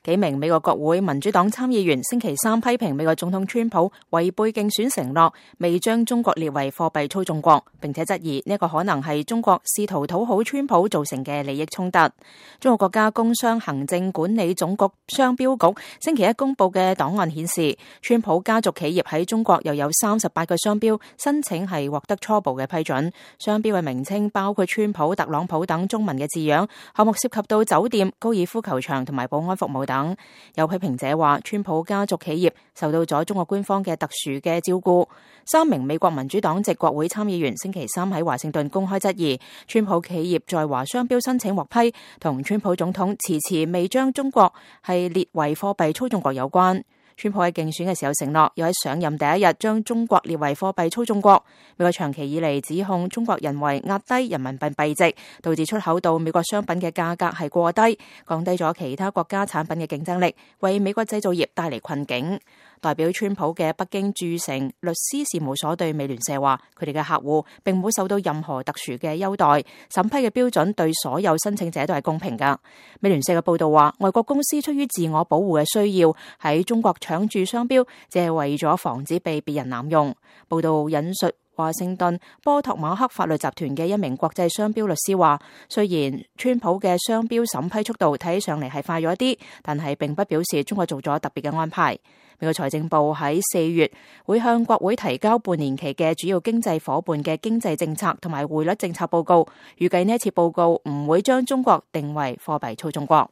幾名美國國會民主黨參議員星期三批評美國總統川普違背競選承諾，未將中國列為貨幣操縱國，並且質疑呢個可能係中國試圖討好川普造成嘅利益衝突。中國國家工商行政管理總局商標局星期一公布嘅檔案顯示，川普家族企業喺中國又有38個商標申請係獲得初步嘅批准，商標嘅名稱包括川普、特朗普等中文嘅字樣，項目涉及到酒店、高爾夫球場同埋保安服務等。有批評者話，川普家族企業受到咗中國官方嘅特殊嘅照顧。3名美國民主黨籍國會參議員星期三喺華盛頓公開質疑，川普企業在華商標申請獲批，同川普總統遲未將中國係列為貨幣操縱國有關。川普喺競選嘅時候承諾，要喺上任第一日將中國列為貨幣操縱國。美國長期以嚟指控中國人為壓低人民幣幣值，導致出口到美國商品嘅價格係過低，降低咗其他國家產品嘅競爭力，為美國製造業帶嚟困境。代表川普嘅北京駐城律師事務所對美聯社話，佢哋嘅客戶並冇受到任何特殊嘅優待，審批嘅標準對所有申請者都係公平㗎。美聯社嘅報道話，外國公司出於自我保護嘅需要，喺中國搶注商標，只係為咗防止被別人濫用。報道引述華盛頓波托馬克法律集團嘅一名國際商標律師話，雖然川普嘅商標審批速度睇起上嚟係快咗一啲，但係並不表示中國做咗特別嘅安排。美國財政部喺4月會向國會提交半年期嘅主要經濟夥伴嘅經濟政策同埋匯率政策報告，預計呢一次報告唔會將中國定為貨幣操縱國。